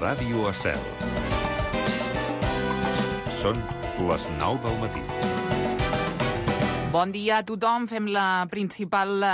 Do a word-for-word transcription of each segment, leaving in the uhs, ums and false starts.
Ràdio Estel. Són les nou del matí. Bon dia a tothom. Fem la principal eh,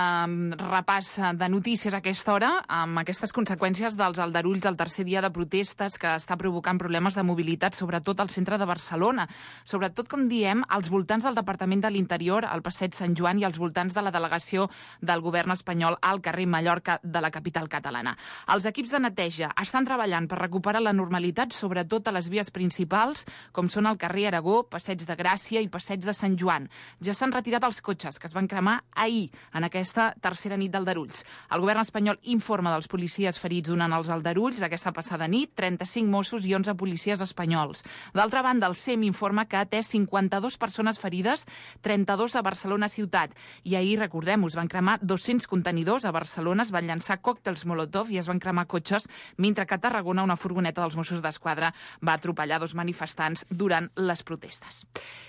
repàs de notícies a aquesta hora, amb aquestes conseqüències dels aldarulls del tercer dia de protestes que està provocant problemes de mobilitat, sobretot al centre de Barcelona. Sobretot, com diem, als voltants del Departament de l'Interior, al Passeig Sant Joan, i als voltants de la delegació del govern espanyol al carrer Mallorca de la capital catalana. Els equips de neteja estan treballant per recuperar la normalitat, sobretot a les vies principals, com són el carrer Aragó, Passeig de Gràcia i Passeig de Sant Joan. Ja s'han retirat els cotxes que es van cremar ahir, en aquesta tercera nit d'aldarulls. El govern espanyol informa dels policies ferits durant els aldarulls aquesta passada nit, trenta-cinc Mossos i onze policies espanyols. D'altra banda, el S E M informa que ha atès cinquanta-dues persones ferides, trenta-dos a Barcelona ciutat. I ahir, recordem-ho, es van cremar dos-cents contenidors a Barcelona, es van llançar còctels Molotov i es van cremar cotxes, mentre que a Tarragona una furgoneta dels Mossos d'Esquadra va atropellar dos manifestants durant les protestes.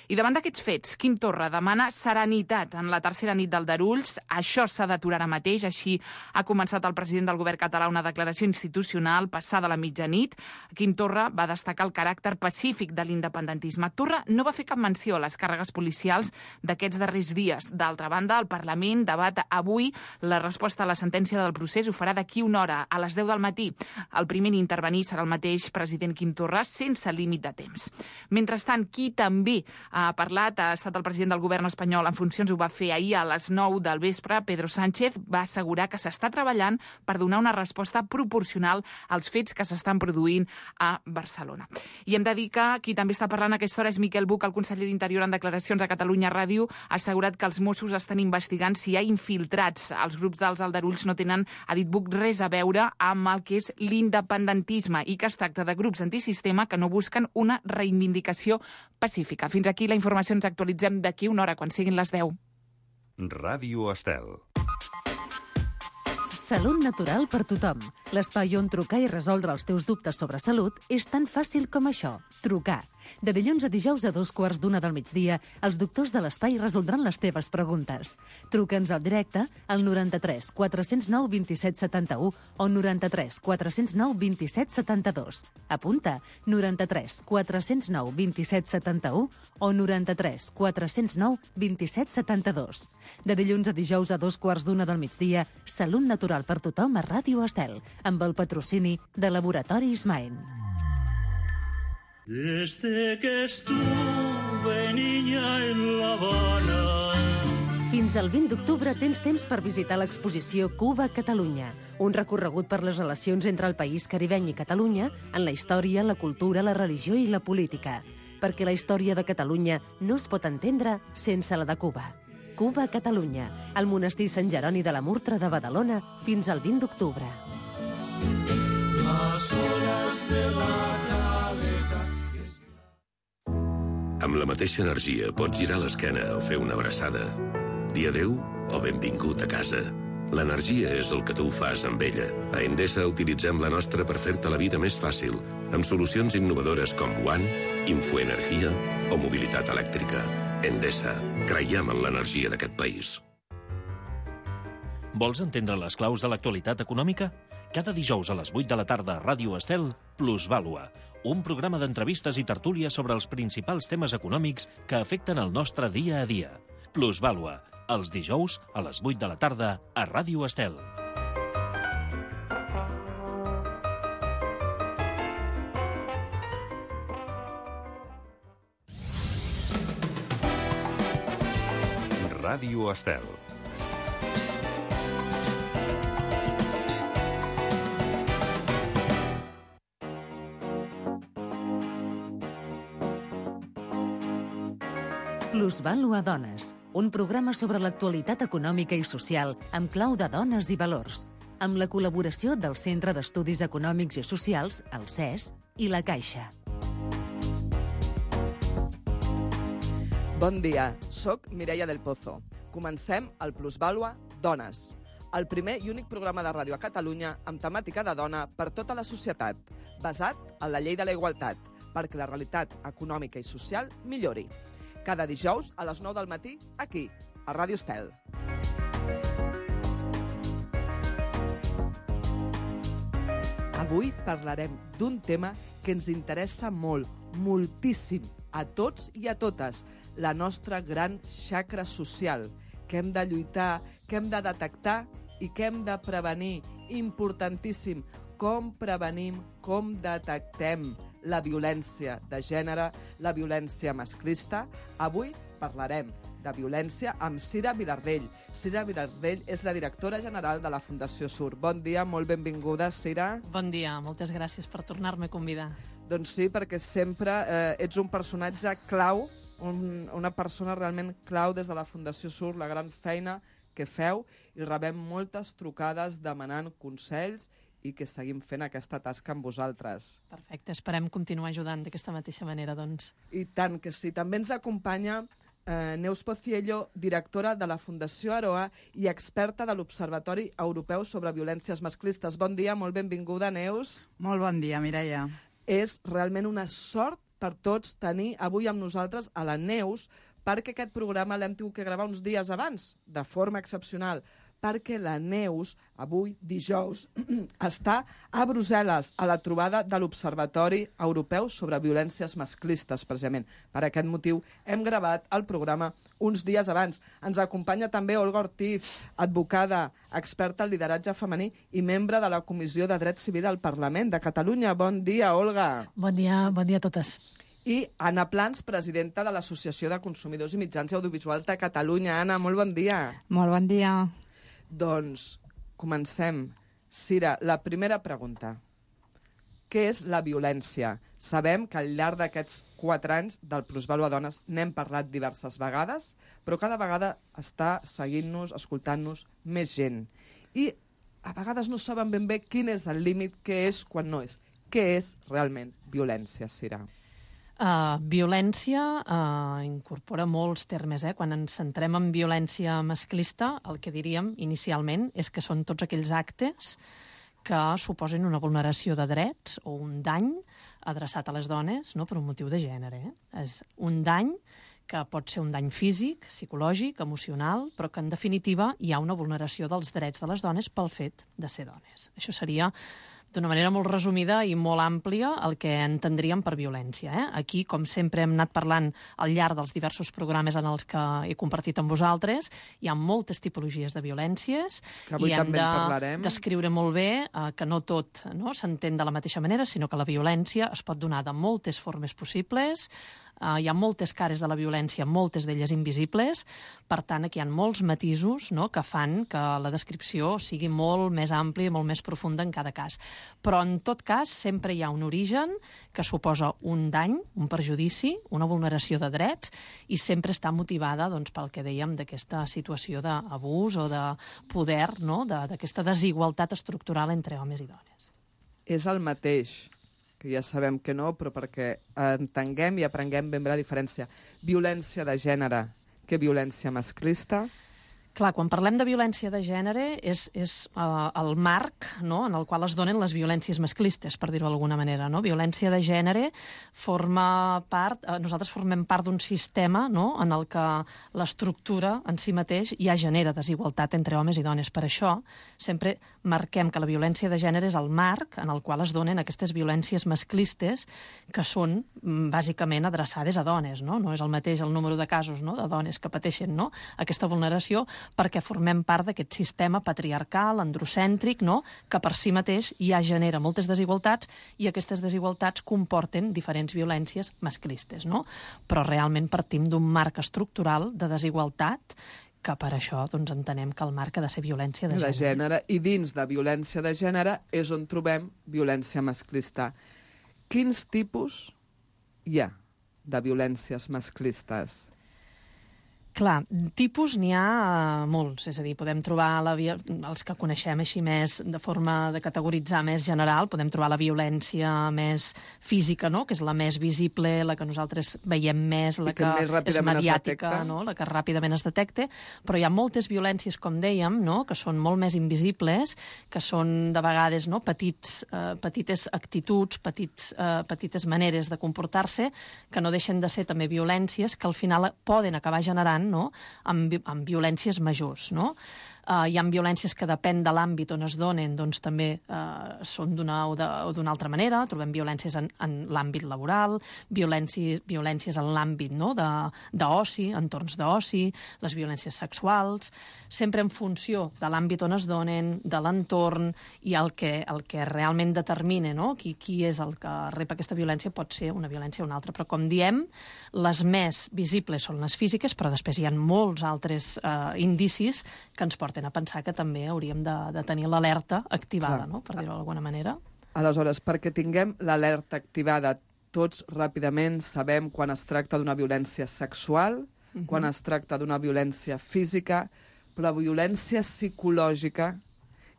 I davant d'aquests fets, Quim Torra demana serenitat en la tercera nit d'aldarulls. Això s'ha d'aturar ara mateix. Així ha començat el president del govern català una declaració institucional passada la mitjanit. Quim Torra va destacar el caràcter pacífic de l'independentisme. Torra no va fer cap menció a les càrregues policials d'aquests darrers dies. D'altra banda, el Parlament debat avui la resposta a la sentència del procés. Ho farà d'aquí una hora, a les deu del matí. El primer en intervenir serà el mateix president Quim Torra, sense límit de temps. Mentrestant, qui també ha parlat ha estat el president del govern espanyol en funcions, ho va fer ahir a les nou del vespre. Pedro Sánchez va assegurar que s'està treballant per donar una resposta proporcional als fets que s'estan produint a Barcelona. I hem de dir que qui també està parlant a aquesta hora és Miquel Buch, el conseller d'Interior, en declaracions a Catalunya Ràdio. Ha assegurat que els Mossos estan investigant si hi ha infiltrats. Els grups dels aldarulls no tenen, ha dit Buch, res a veure amb el que és l'independentisme i que es tracta de grups antisistema que no busquen una reivindicació pacífica. Fins aquí la informació. Ens actualitzem d'aquí una hora, quan siguin les deu. Ràdio Estel. Salut natural per tothom. L'espai on trucar i resoldre els teus dubtes sobre salut és tan fàcil com això. Trucar. De dilluns a dijous a dos quarts d'una del migdia, els doctors de l'espai resoldran les teves preguntes. Truca'ns al directe al noranta-tres quatre zero nou vint set setanta-u o noranta-tres quatre zero nou vint set setanta-dos. Apunta, noranta-tres quatre zero nou vint set setanta-u o noranta-tres quatre zero nou vint set setanta-dos. De dilluns a dijous a dos quarts d'una del migdia, Salut natural per tothom a Ràdio Estel, amb el patrocini de Laboratoris Maen. Desde que estuve niña en La Habana. Fins al vint d'octubre tens temps per visitar l'exposició Cuba-Catalunya, un recorregut per les relacions entre el país caribeny i Catalunya en la història, la cultura, la religió i la política. Perquè la història de Catalunya no es pot entendre sense la de Cuba. Cuba-Catalunya, al monestir Sant Jeroni de la Murtra de Badalona, fins al vint d'octubre. Las olas de la caleta. Amb la mateixa energia pots girar l'esquena o fer una abraçada. Dir adéu o benvingut a casa. L'energia és el que tu fas amb ella. A Endesa utilitzem la nostra per fer-te la vida més fàcil, amb solucions innovadores com One, Infoenergia o mobilitat elèctrica. Endesa. Creiem en l'energia d'aquest país. Vols entendre les claus de l'actualitat econòmica? Cada dijous a les vuit de la tarda a Ràdio Estel, Plusvàlua, un programa d'entrevistes i tertúlies sobre els principals temes econòmics que afecten el nostre dia a dia. Plusvàlua, els dijous a les vuit de la tarda a Ràdio Estel. Ràdio Estel. Plusvàlua Dones, un programa sobre l'actualitat econòmica i social amb clau de dones i valors, amb la col·laboració del Centre d'Estudis Econòmics i Socials, el C E S, i la Caixa. Bon dia, soc Mireia del Pozo. Comencem el Plusvàlua Dones, el primer i únic programa de ràdio a Catalunya amb temàtica de dona per tota la societat, basat en la llei de la igualtat, perquè la realitat econòmica i social millori. Cada dijous a les nou del matí, aquí, a Ràdio Estel. Avui parlarem d'un tema que ens interessa molt, moltíssim, a tots i a totes, la nostra gran xacra social, que hem de lluitar, que hem de detectar i que hem de prevenir. Importantíssim, com prevenim, com detectem la violència de gènere, la violència masclista. Avui parlarem de violència amb Cira Vilardell. Cira Vilardell és la directora general de la Fundació SUR. Bon dia, molt benvinguda, Cira. Bon dia, moltes gràcies per tornar-me a convidar. Doncs sí, perquè sempre eh, ets un personatge clau, un, una persona realment clau des de la Fundació SUR, la gran feina que feu, i rebem moltes trucades demanant consells i que seguim fent aquesta tasca amb vosaltres. Perfecte, esperem continuar ajudant d'aquesta mateixa manera, doncs. I tant que sí. També ens acompanya eh, Neus Pociello, directora de la Fundació Aroa i experta de l'Observatori Europeu sobre Violències Masclistes. Bon dia, molt benvinguda, Neus. Molt bon dia, Mireia. És realment una sort per tots tenir avui amb nosaltres a la Neus, perquè aquest programa l'hem tingut que gravar uns dies abans, de forma excepcional, perquè la Neus, avui, dijous, està a Brussel·les, a la trobada de l'Observatori Europeu sobre Violències Masclistes, precisament. Per aquest motiu hem gravat el programa uns dies abans. Ens acompanya també Olga Ortiz, advocada, experta en lideratge femení i membre de la Comissió de Dret Civil al Parlament de Catalunya. Bon dia, Olga. Bon dia, bon dia a totes. I Anna Plans, presidenta de l'Associació de Consumidors i Mitjans Audiovisuals de Catalunya. Anna, molt bon dia. Molt bon dia. Doncs comencem. Cira, la primera pregunta. Què és la violència? Sabem que al llarg d'aquests quatre anys del Plusvàlua Dones n'hem parlat diverses vegades, però cada vegada està seguint-nos, escoltant-nos més gent. I a vegades no saben ben bé quin és el límit, què és quan no és. Què és realment violència, Cira? Uh, violència uh, incorpora molts termes. Eh? Quan ens centrem en violència masclista, el que diríem inicialment és que són tots aquells actes que suposen una vulneració de drets o un dany adreçat a les dones, no? Per un motiu de gènere. Eh? És un dany que pot ser un dany físic, psicològic, emocional, però que en definitiva hi ha una vulneració dels drets de les dones pel fet de ser dones. Això seria, d'una manera molt resumida i molt àmplia, el que entendríem per violència. Eh? Aquí, com sempre hem anat parlant al llarg dels diversos programes en els que he compartit amb vosaltres, hi ha moltes tipologies de violències i hem de parlarem. descriure molt bé eh, que no tot no, s'entén de la mateixa manera, sinó que la violència es pot donar de moltes formes possibles. Uh, hi ha moltes cares de la violència, moltes d'elles invisibles, per tant, aquí hi ha molts matisos, no?, que fan que la descripció sigui molt més àmplia i molt més profunda en cada cas. Però, en tot cas, sempre hi ha un origen que suposa un dany, un perjudici, una vulneració de drets, i sempre està motivada, doncs, pel que dèiem d'aquesta situació d'abús o de poder, no?, d'aquesta desigualtat estructural entre homes i dones. És el mateix, que ja sabem que no, però perquè entenguem i aprenguem ben bé la diferència. Violència de gènere que violència masclista. Clar, quan parlem de violència de gènere és, és uh, el marc, no?, en el qual es donen les violències masclistes, per dir-ho d'alguna manera. No? Violència de gènere forma part, uh, nosaltres formem part d'un sistema, no?, en el que l'estructura en si mateix ja genera desigualtat entre homes i dones. Per això sempre marquem que la violència de gènere és el marc en el qual es donen aquestes violències masclistes que són bàsicament adreçades a dones. No, no és el mateix el número de casos, no?, de dones que pateixen, no?, aquesta vulneració, perquè formem part d'aquest sistema patriarcal, androcèntric, no?, que per si mateix ja genera moltes desigualtats i aquestes desigualtats comporten diferents violències masclistes. No? Però realment partim d'un marc estructural de desigualtat que per això doncs, entenem que el marc ha de ser violència de gènere. De gènere. I dins de violència de gènere és on trobem violència masclista. Quins tipus hi ha de violències masclistes? Clar, tipus n'hi ha uh, molts, és a dir, podem trobar la via... els que coneixem així més de forma de categoritzar més general, podem trobar la violència més física, no?, que és la més visible, la que nosaltres veiem més, la que, que és mediàtica, no?, la que ràpidament es detecta, però hi ha moltes violències, com dèiem, no?, que són molt més invisibles, que són de vegades no?, petits, uh, petites actituds, petits, uh, petites maneres de comportar-se, que no deixen de ser també violències que al final poden acabar generant, no?, amb, amb violències majors. No? Uh, hi ha violències que depèn de l'àmbit on es donen, doncs també uh, són d'una o d'una altra manera. Trobem violències en, en l'àmbit laboral, violències, violències en l'àmbit, no?, d'oci, entorns d'oci, les violències sexuals, sempre en funció de l'àmbit on es donen, de l'entorn, i el que, el que realment determina, no?, qui, qui és el que rep aquesta violència pot ser una violència o una altra. Però, com diem, les més visibles són les físiques, però després hi ha molts altres eh, indicis que ens porten a pensar que també hauríem de, de tenir l'alerta activada, no?, per dir-ho d'alguna manera. Aleshores, perquè tinguem l'alerta activada, tots ràpidament sabem quan es tracta d'una violència sexual, uh-huh. quan es tracta d'una violència física, però la violència psicològica,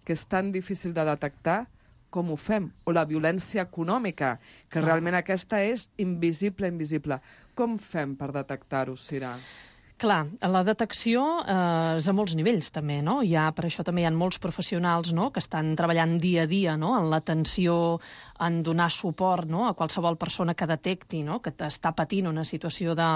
que és tan difícil de detectar, com ho fem? O la violència econòmica, que realment aquesta és invisible, invisible. Com fem per detectar-ho, Sira? Clar, la detecció eh, és a molts nivells, també, no? Hi ha, per això també hi ha molts professionals, no?, que estan treballant dia a dia, no?, en l'atenció, en donar suport, no?, a qualsevol persona que detecti, no?, que està patint una situació de,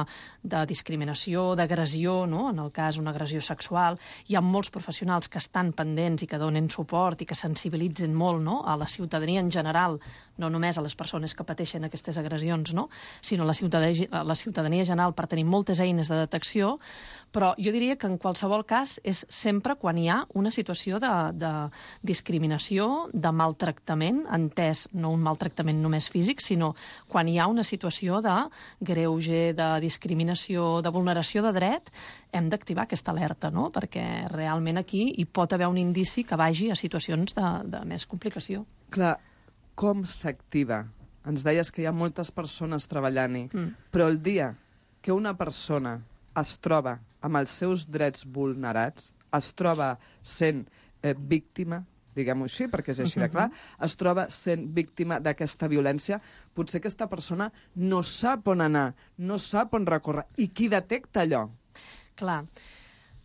de discriminació, d'agressió, no?, en el cas una agressió sexual. Hi ha molts professionals que estan pendents i que donen suport i que sensibilitzen molt, no?, a la ciutadania en general, no només a les persones que pateixen aquestes agressions, no?, sinó a la ciutadania, a la ciutadania general, per tenir moltes eines de detecció. Però jo diria que en qualsevol cas és sempre quan hi ha una situació de, de discriminació, de maltractament, entès no un maltractament només físic, sinó quan hi ha una situació de greuge, de discriminació, de vulneració de dret, hem d'activar aquesta alerta, no?, perquè realment aquí hi pot haver un indici que vagi a situacions de, de més complicació. Clar, com s'activa? Ens deies que hi ha moltes persones treballant-hi, mm. però el dia que una persona es troba amb els seus drets vulnerats, es troba sent eh, víctima, diguem-ho així, perquè és així de clar, es troba sent víctima d'aquesta violència, potser aquesta persona no sap on anar, no sap on recórrer. I qui detecta allò? Clar.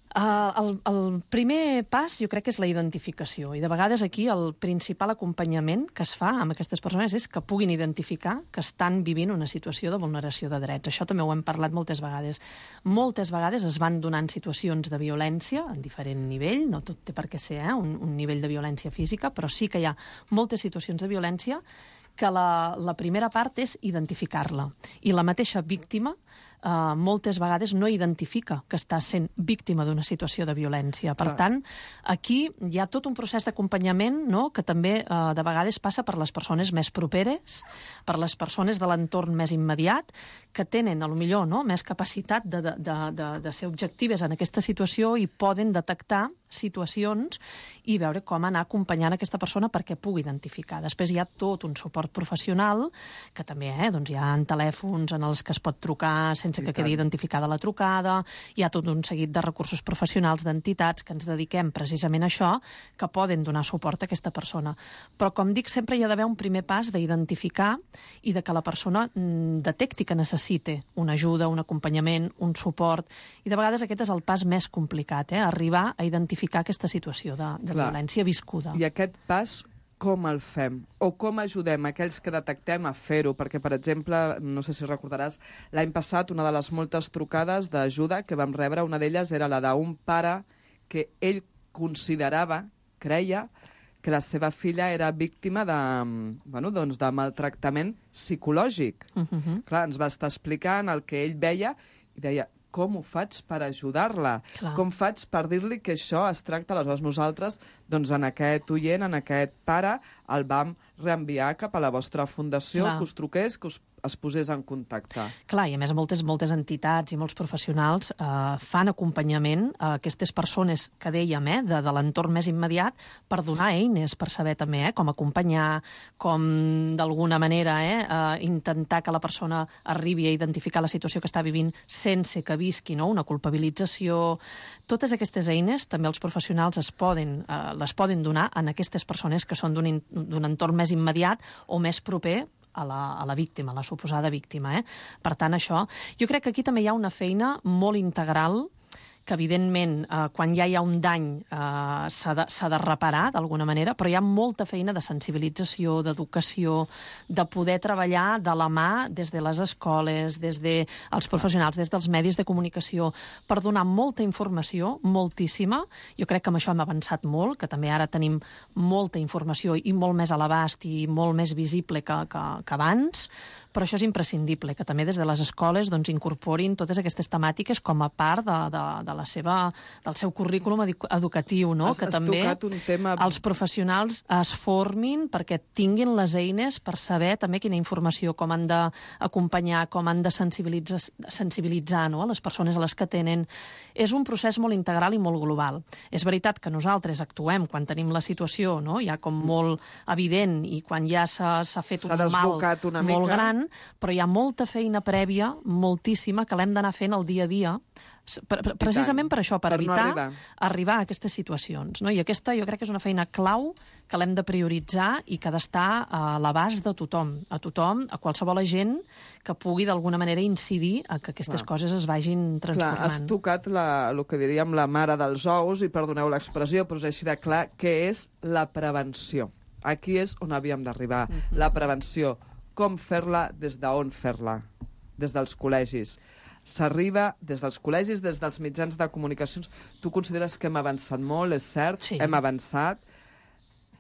Uh, el, el primer pas jo crec que és la identificació, i de vegades aquí el principal acompanyament que es fa amb aquestes persones és que puguin identificar que estan vivint una situació de vulneració de drets. Això també ho hem parlat moltes vegades. Moltes vegades es van donant situacions de violència en diferent nivell, no tot té per què ser eh, un, un nivell de violència física, però sí que hi ha moltes situacions de violència que la, la primera part és identificar-la. I la mateixa víctima Uh, moltes vegades no identifica que està sent víctima d'una situació de violència. Per tant, aquí hi ha tot un procés d'acompanyament, no?, que també uh, de vegades passa per les persones més properes, per les persones de l'entorn més immediat, que tenen, a lo millor, no?, més capacitat de, de, de, de, de ser objectives en aquesta situació i poden detectar situacions i veure com anar acompanyant aquesta persona perquè pugui identificar. Després hi ha tot un suport professional, que també eh, doncs hi ha telèfons en els que es pot trucar sense que quedi identificada la trucada, hi ha tot un seguit de recursos professionals d'entitats que ens dediquem precisament a això, que poden donar suport a aquesta persona. Però, com dic, sempre hi ha d'haver un primer pas d'identificar i de que la persona mm, detecti que necessite una ajuda, un acompanyament, un suport, i de vegades aquest és el pas més complicat, eh? Arribar a identificar aquesta situació de, de violència viscuda. I aquest pas com el fem? O com ajudem aquells que detectem a fer-ho? Perquè, per exemple, no sé si recordaràs, l'any passat una de les moltes trucades d'ajuda que vam rebre, una d'elles era la d'un pare que ell considerava, creia, que la seva filla era víctima de, bueno, doncs de maltractament psicològic. Uh-huh. Clar, ens va estar explicant el que ell veia i deia, com ho faig per ajudar-la? Clar. Com faig per dir-li que això es tracta? Aleshores nosaltres, doncs en aquest oient, en aquest pare, el vam reenviar cap a la vostra fundació, Clar. que us truqués, que us es posés en contacte. Clar, i a més moltes, moltes entitats i molts professionals eh, fan acompanyament a aquestes persones que dèiem, eh, de, de l'entorn més immediat, per donar eines, per saber també eh, com acompanyar, com d'alguna manera eh, eh, intentar que la persona arribi a identificar la situació que està vivint sense que visqui no? una culpabilització. Totes aquestes eines també els professionals es poden, eh, les poden donar en aquestes persones que són d'un entorn més immediat o més proper a la, a la víctima, a la suposada víctima. Eh? Per tant, això... Jo crec que aquí també hi ha una feina molt integral que evidentment eh, quan ja hi ha un dany eh, s'ha de, s'ha de reparar d'alguna manera, però hi ha molta feina de sensibilització, d'educació, de poder treballar de la mà des de les escoles, des dels professionals, des dels medis de comunicació, per donar molta informació, moltíssima. Jo crec que amb això hem avançat molt, que també ara tenim molta informació i molt més a l'abast i molt més visible que, que, que abans, però això és imprescindible, que també des de les escoles doncs, incorporin totes aquestes temàtiques com a part de, de, de la seva, del seu currículum educatiu, no? Has, que has també un tema... els professionals es formin perquè tinguin les eines per saber també quina informació, com han d'acompanyar, com han de sensibilitzar, sensibilitzar no? a les persones a les que tenen. És un procés molt integral i molt global. És veritat que nosaltres actuem quan tenim la situació, no? ja com molt evident, i quan ja s'ha fet un mal una molt mica. gran, però hi ha molta feina prèvia, moltíssima, que l'hem d'anar fent el dia a dia, precisament per això, per, per evitar no arribar. arribar a aquestes situacions. No? I aquesta jo crec que és una feina clau que l'hem de prioritzar i que ha d'estar a l'abast de tothom, a tothom, a qualsevol agent que pugui d'alguna manera incidir a que aquestes Clar. coses es vagin transformant. Clar, has tocat la, el que diríem la mare dels ous, i perdoneu l'expressió, però és així de clar, que és la prevenció. Aquí és on havíem d'arribar, uh-huh. la prevenció. Com fer-la, des d'on fer-la, des dels col·legis. S'arriba des dels col·legis, des dels mitjans de comunicacions. Tu consideres que hem avançat molt, és cert? Sí. Hem avançat.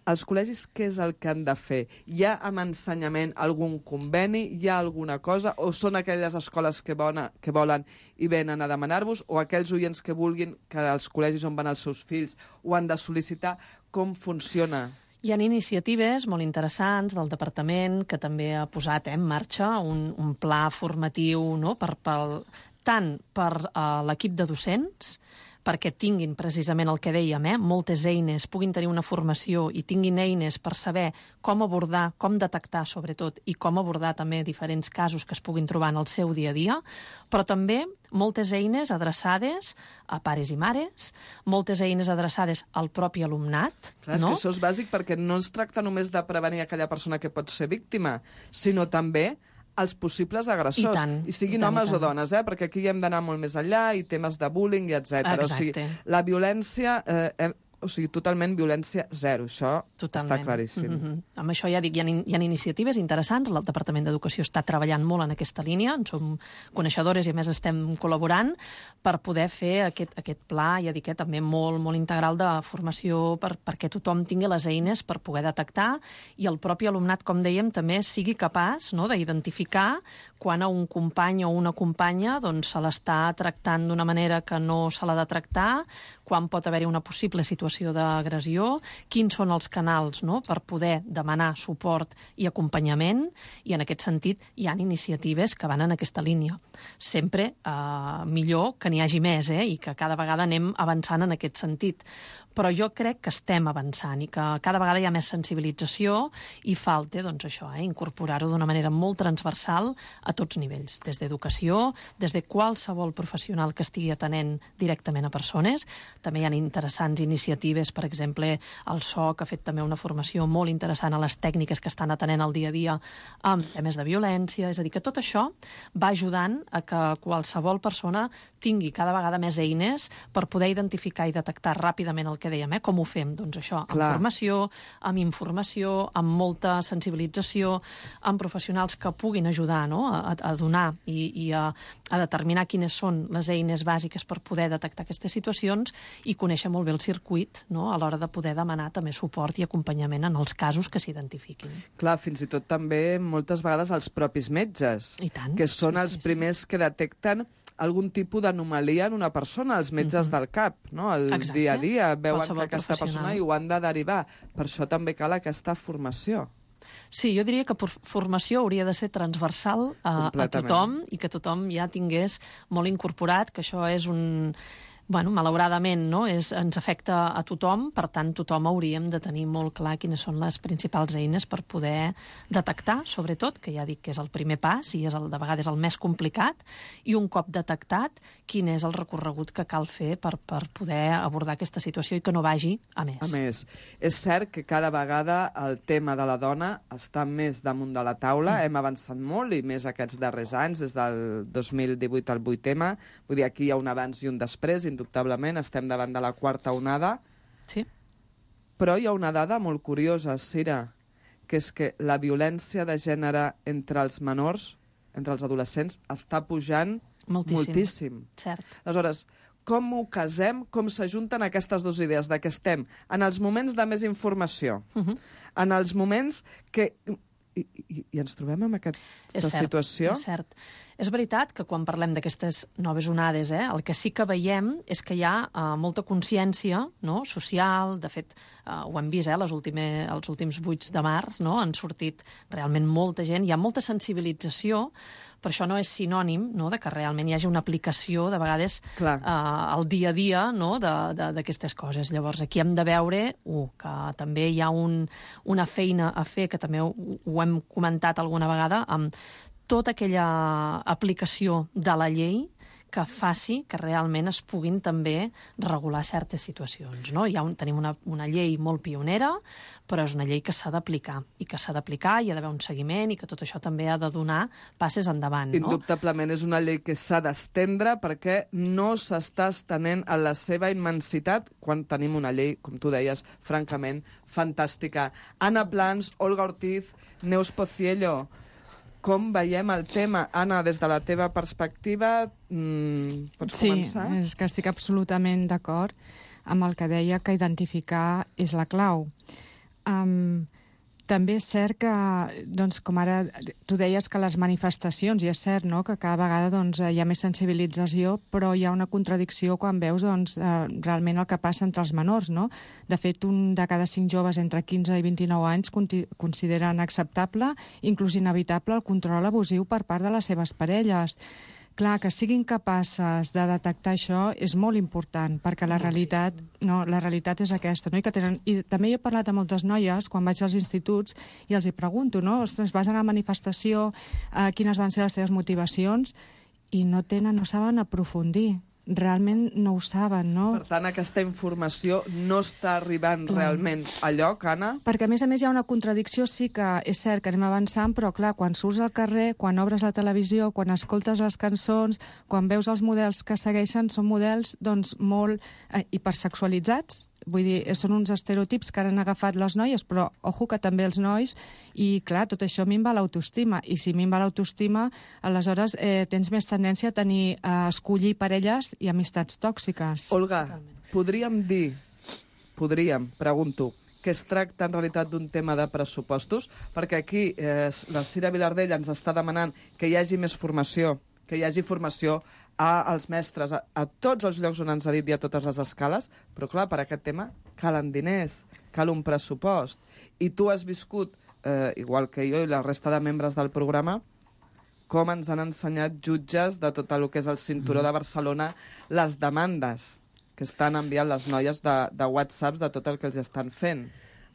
Els col·legis, què és el que han de fer? Hi ha amb ensenyament algun conveni? Hi ha alguna cosa? O són aquelles escoles que, bona, que volen i venen a demanar-vos? O aquells oients que vulguin que els col·legis on van els seus fills ho han de sol·licitar? Com funciona? Hi ha iniciatives molt interessants del departament que també ha posat eh, en marxa un, un pla formatiu no? per, per, tant per uh, l'equip de docents, perquè tinguin precisament el que dèiem, eh, moltes eines, puguin tenir una formació i tinguin eines per saber com abordar, com detectar, sobretot, i com abordar també diferents casos que es puguin trobar en el seu dia a dia, però també moltes eines adreçades a pares i mares, moltes eines adreçades al propi alumnat. Clar, és no? que això és bàsic perquè no es tracta només de prevenir aquella persona que pot ser víctima, sinó també els possibles agressors, I, tant, i siguin i tant, homes i o dones, eh? perquè aquí hi hem d'anar molt més enllà, i temes de bullying, i etcètera. O sigui, la violència... Eh, o sigui, totalment violència zero. Això totalment. Està claríssim. Mm-hmm. Amb això ja dic, hi ha, hi ha iniciatives interessants. El Departament d'Educació està treballant molt en aquesta línia. En som coneixedores i, a més, estem col·laborant per poder fer aquest, aquest pla, ja dic, eh, també molt, molt integral de formació per, perquè tothom tingui les eines per poder detectar i el propi alumnat, com dèiem, també sigui capaç no, d'identificar quan a un company o una companya doncs, se l'està tractant d'una manera que no se l'ha de tractar, quan pot haver-hi una possible situació d'agressió, quins són els canals no, per poder demanar suport i acompanyament, i en aquest sentit hi ha iniciatives que van en aquesta línia. Sempre eh, millor que n'hi hagi més, eh, i que cada vegada anem avançant en aquest sentit. Però jo crec que estem avançant i que cada vegada hi ha més sensibilització i falta, doncs això, eh, incorporar-ho d'una manera molt transversal a tots nivells, des d'educació, des de qualsevol professional que estigui atenent directament a persones. També hi ha interessants iniciatives, per exemple, el S O C ha fet també una formació molt interessant a les tècniques que estan atenent al dia a dia amb temes de violència, és a dir, que tot això va ajudant a que qualsevol persona tingui cada vegada més eines per poder identificar i detectar ràpidament el que dèiem, eh? Com ho fem? Doncs això, amb Clar. formació, amb informació, amb molta sensibilització, amb professionals que puguin ajudar no? a, a donar i, i a, a determinar quines són les eines bàsiques per poder detectar aquestes situacions i conèixer molt bé el circuit no? a l'hora de poder demanar també suport i acompanyament en els casos que s'identifiquin. Clar, fins i tot també moltes vegades els propis metges, I tant. que són Sí, els sí, sí. primers que detecten algun tipus d'anomalia en una persona, els metges Mhm. del cap, no? El Exacte. dia a dia, veuen Qualsevol que aquesta professional. persona i ho han de derivar. Per això també cal aquesta formació. Sí, jo diria que por- formació hauria de ser transversal a, a Completament. tothom i que tothom ja tingués molt incorporat, que això és un... Bueno, malauradament, no? És, ens afecta a tothom, per tant, tothom hauríem de tenir molt clar quines són les principals eines per poder detectar, sobretot, que ja dic que és el primer pas i és el, de vegades el més complicat, i un cop detectat, quin és el recorregut que cal fer per, per poder abordar aquesta situació i que no vagi a més. A més, és cert que cada vegada el tema de la dona està més damunt de la taula, mm. hem avançat molt, i més aquests darrers anys, des del dos mil divuit al vuit ema, vull dir, aquí hi ha un abans i un després, indubtablement, estem davant de la quarta onada. Sí. Però hi ha una dada molt curiosa, Cira, que és que la violència de gènere entre els menors, entre els adolescents, està pujant moltíssim. moltíssim. Cert. Aleshores, com ho casem, com s'ajunten aquestes dues idees, de que estem en els moments de més informació, uh -huh. en els moments que... I, i, i ens trobem en aquesta és cert, situació? És cert. És veritat que quan parlem d'aquestes noves onades, eh, el que sí que veiem és que hi ha uh, molta consciència, no?, social. De fet, uh, ho hem vist, eh, les últime, els últims vuit de març, no?, han sortit realment molta gent. Hi ha molta sensibilització, però això no és sinònim, no?, de que realment hi hagi una aplicació, de vegades, uh, al dia a dia, no?, d'aquestes coses. Llavors, aquí hem de veure uh, que també hi ha un, una feina a fer, que també ho, ho hem comentat alguna vegada, amb tota aquella aplicació de la llei que faci que realment es puguin també regular certes situacions, no? Hi ha un, tenim una, una llei molt pionera, però és una llei que s'ha d'aplicar, i que s'ha d'aplicar, hi ha d'haver un seguiment, i que tot això també ha de donar passes endavant, no? Indubtablement és una llei que s'ha d'estendre perquè no s'està estenent a la seva immensitat quan tenim una llei, com tu deies, francament fantàstica. Anna Plans, Olga Ortiz, Neus Pociello, com veiem el tema? Anna, des de la teva perspectiva, mmm, pots sí, començar? Sí, és que estic absolutament d'acord amb el que deia, que identificar és la clau. Um, també és cert que, doncs, com ara tu deies, que les manifestacions, i és cert, no?, que cada vegada doncs, hi ha més sensibilització, però hi ha una contradicció quan veus doncs, eh, realment el que passa entre els menors, no? De fet, un de cada cinc joves entre quinze i vint-i-nou anys consideren acceptable, inclús inevitable, el control abusiu per part de les seves parelles. Clar, que siguin capaces de detectar això és molt important, perquè la realitat, no, la realitat és aquesta, no? I, que tenen, I també he parlat amb moltes noies quan vaig als instituts i els hi pregunto, no? Ostres, vas anar a la manifestació, eh, quines van ser les teves motivacions, i no tenen, no saben aprofundir. Realment no ho saben, no? Per tant, aquesta informació no està arribant clar. realment a lloc, Anna? Perquè, a més a més, hi ha una contradicció, sí que és cert que anem avançant, però, clar, quan surts al carrer, quan obres la televisió, quan escoltes les cançons, quan veus els models que segueixen, són models, doncs, molt eh, hipersexualitzats. Vull dir, són uns estereotips que han agafat les noies, però, ojo, que també els nois, i, clar, tot això minva l'autoestima. I si minva l'autoestima, aleshores eh, tens més tendència a tenir, a escollir parelles i amistats tòxiques. Olga, totalment. Podríem dir, podríem, pregunto, que es tracta en realitat d'un tema de pressupostos? Perquè aquí eh, la Cira Vilardell ens està demanant que hi hagi més formació, que hi hagi formació als mestres, a, a tots els llocs on ens ha dit i a totes les escales, però clar, per aquest tema calen diners, cal un pressupost. I tu has viscut, eh, igual que jo i la resta de membres del programa, com ens han ensenyat jutges de tot el que és el cinturó de Barcelona les demandes que estan enviant les noies de, de whatsapps de tot el que els estan fent.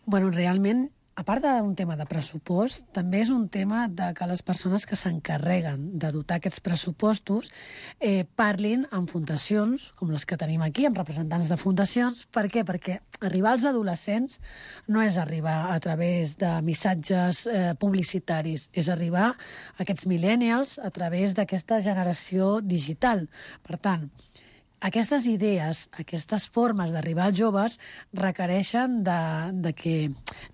Bueno, realment, a part d'un tema de pressupost, també és un tema de que les persones que s'encarreguen de dotar aquests pressupostos eh, parlin amb fundacions, com les que tenim aquí, amb representants de fundacions. Per què? Perquè arribar als adolescents no és arribar a través de missatges eh, publicitaris, és arribar a aquests millennials a través d'aquesta generació digital. Per tant, aquestes idees, aquestes formes d'arribar als joves requereixen de, de que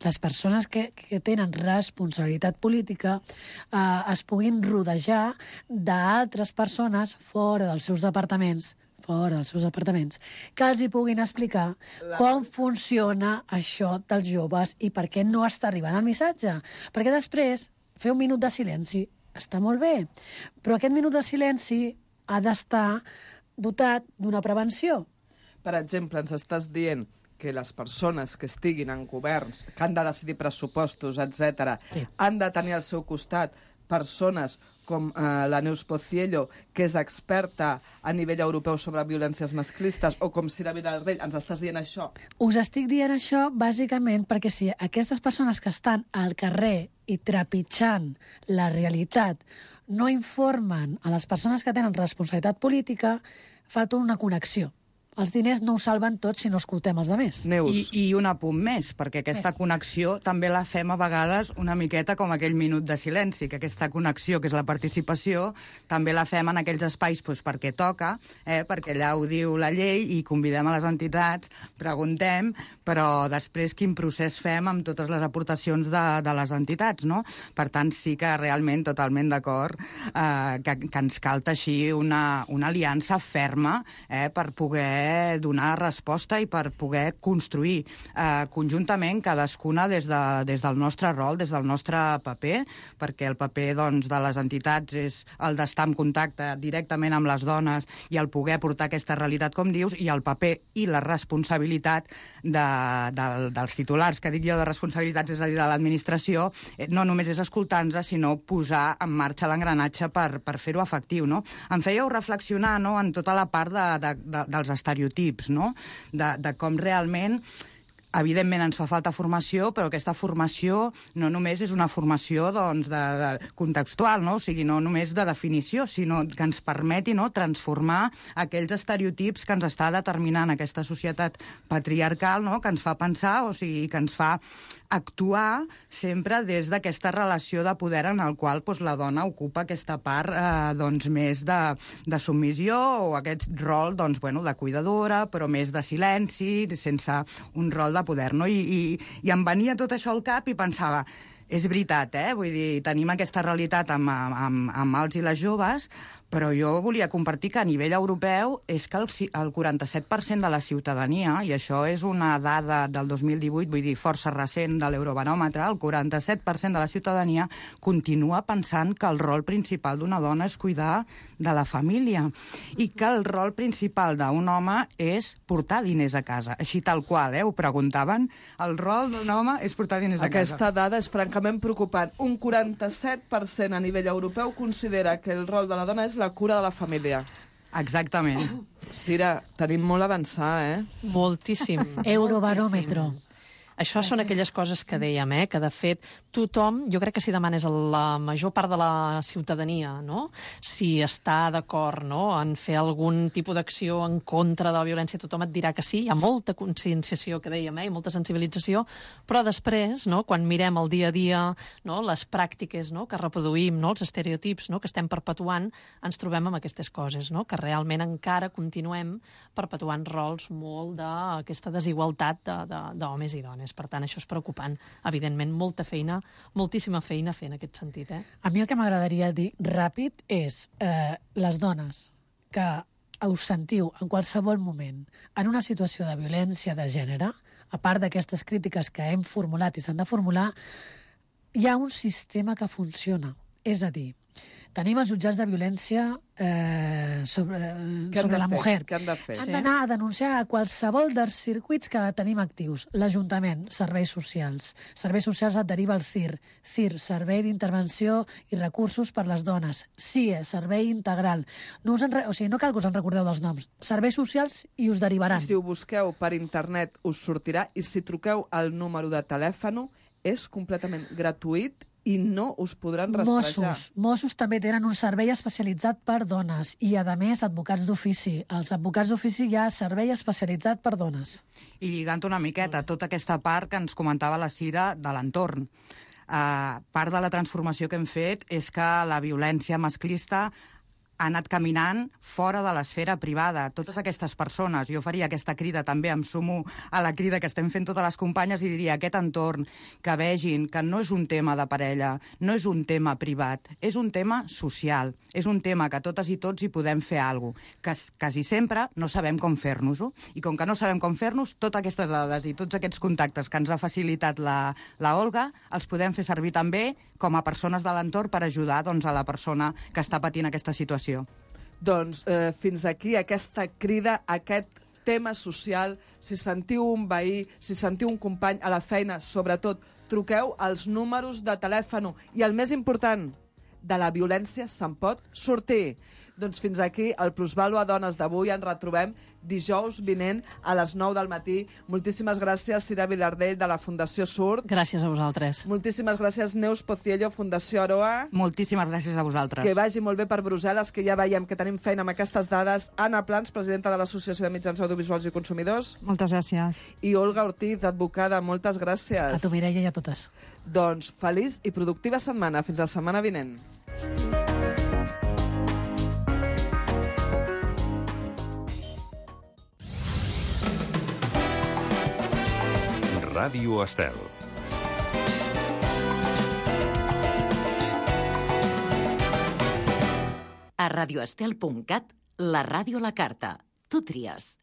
les persones que, que tenen responsabilitat política eh, es puguin rodejar d'altres persones fora dels seus departaments, fora dels seus departaments, que els hi puguin explicar com funciona això dels joves i per què no està arribant el missatge. Perquè després, fer un minut de silenci està molt bé, però aquest minut de silenci ha d'estar dotat d'una prevenció. Per exemple, ens estàs dient que les persones que estiguin en governs, que han de decidir pressupostos, etcètera, sí. han de tenir al seu costat persones com eh, la Neus Pociello, que és experta a nivell europeu sobre violències masclistes, o com Cira Vilardell, ens estàs dient això? Us estic dient això bàsicament perquè si aquestes persones que estan al carrer i trepitjant la realitat no informen a les persones que tenen responsabilitat política, falta una connexió. els diners no ho salven tot si no escoltem els altres. I, I un apunt més, perquè aquesta Més. connexió també la fem a vegades una miqueta com aquell minut de silenci, que aquesta connexió, que és la participació, també la fem en aquells espais doncs, perquè toca, eh, perquè allà ho diu la llei i convidem a les entitats, preguntem, però després quin procés fem amb totes les aportacions de, de les entitats, no? Per tant, sí que realment totalment d'acord eh, que, que ens cal teixir una, una aliança ferma eh, per poder donar resposta i per poder construir eh, conjuntament cadascuna des, de, des del nostre rol, des del nostre paper, perquè el paper doncs, de les entitats és el d'estar en contacte directament amb les dones i el poder portar aquesta realitat, com dius, i el paper i la responsabilitat de, de, dels titulars, que dic jo de responsabilitats, és a dir, de l'administració, eh, no només és escoltar-nos, sinó posar en marxa l'engranatge per, per fer-ho efectiu, no? Em fèieu reflexionar, no?, en tota la part de, de, de, dels estereotips, no?, de, de com realment evidentment ens fa falta formació, però aquesta formació no només és una formació doncs, de, de contextual, no? O sigui, no només de definició, sinó que ens permeti, no?, transformar aquells estereotips que ens està determinant aquesta societat patriarcal, no?, que ens fa pensar, o sigui, que ens fa actuar sempre des d'aquesta relació de poder en el qual doncs, la dona ocupa aquesta part eh, doncs, més de, de submissió o aquest rol doncs, bueno, de cuidadora, però més de silenci, sense un rol de poder, no? I, i, i em venia tot això al cap i pensava, és veritat, eh? Vull dir, tenim aquesta realitat amb, amb, amb els i les joves, però jo volia compartir que a nivell europeu és que el, el quaranta-set per cent de la ciutadania, i això és una dada del dos mil divuit, vull dir, força recent de l'Eurobaròmetre, el quaranta-set per cent de la ciutadania continua pensant que el rol principal d'una dona és cuidar de la família i que el rol principal d'un home és portar diners a casa. Així tal qual, eh? Ho preguntaven, el rol d'un home és portar diners a casa. Aquesta dada és francament preocupant. Un quaranta-set per cent a nivell europeu considera que el rol de la dona és la cura de la família. Exactament. Cira, tenim molt a avançar, eh? Moltíssim. Eurobaròmetre. Això són aquelles coses que dèiem, eh? Que de fet tothom, jo crec que si demanes a la major part de la ciutadania, no?, si està d'acord, no?, en fer algun tipus d'acció en contra de la violència, tothom et dirà que sí, hi ha molta conscienciació, que dèiem, eh? I molta sensibilització, però després, no?, quan mirem el dia a dia, no?, les pràctiques, no?, que reproduïm, no?, els estereotips, no?, que estem perpetuant, ens trobem amb aquestes coses, no?, que realment encara continuem perpetuant rols molt d'aquesta desigualtat d'homes i dones. Per tant, això és preocupant. Evidentment, molta feina, moltíssima feina a fer en aquest sentit. Eh? A mi el que m'agradaria dir ràpid és eh, les dones que us sentiu en qualsevol moment en una situació de violència de gènere, a part d'aquestes crítiques que hem formulat i s'han de formular, hi ha un sistema que funciona. És a dir, tenim els jutjats de violència eh, sobre, sobre la mujer. Què han de fer? Han d'anar a denunciar a qualsevol dels circuits que tenim actius. L'Ajuntament, serveis socials. Serveis socials et deriva al C I R. C I R, Servei d'Intervenció i Recursos per les Dones. S I E, Servei Integral. No, us en, o sigui, no cal que us en recordeu dels noms. Serveis socials i us derivaran. I si ho busqueu per internet us sortirà, i si truqueu al número de telèfon és completament gratuït i no us podran rastrejar. Mossos. Mossos també tenen un servei especialitzat per dones i, a més, advocats d'ofici. Els advocats d'ofici hi ha servei especialitzat per dones. I lligant una miqueta tota aquesta part que ens comentava la Cira de l'entorn. Uh, part de la transformació que hem fet és que la violència masclista ha anat caminant fora de l'esfera privada. Totes aquestes persones, jo faria aquesta crida també, em sumo a la crida que estem fent totes les companyes i diria aquest entorn, que vegin que no és un tema de parella, no és un tema privat, és un tema social, és un tema que totes i tots hi podem fer alguna cosa, que quasi sempre no sabem com fer-nos-ho, i com que no sabem com fer-nos, totes aquestes dades i tots aquests contactes que ens ha facilitat la, la Olga, els podem fer servir també com a persones de l'entorn per ajudar doncs, a la persona que està patint aquesta situació. Doncs eh, fins aquí aquesta crida, aquest tema social. Si sentiu un veí, si sentiu un company a la feina, sobretot, truqueu als números de telèfon. I el més important, de la violència se'n pot sortir. Doncs fins aquí el Plusvàlua Dones d'avui. Ens retrobem dijous vinent a les nou del matí. Moltíssimes gràcies, Cira Vilardell, de la Fundació Surt. Gràcies a vosaltres. Moltíssimes gràcies, Neus Pociello, Fundació Aroa. Moltíssimes gràcies a vosaltres. Que vagi molt bé per Brussel·les, que ja veiem que tenim feina amb aquestes dades. Anna Plans, presidenta de l'Associació de Mitjans Audiovisuals i Consumidors. Moltes gràcies. I Olga Ortiz, advocada. Moltes gràcies. A tu, Mireia, i a totes. Doncs feliç i productiva setmana. Fins la setmana vinent. Ràdio Estel. A radioestel punt cat, la ràdio a la carta. Tu tries.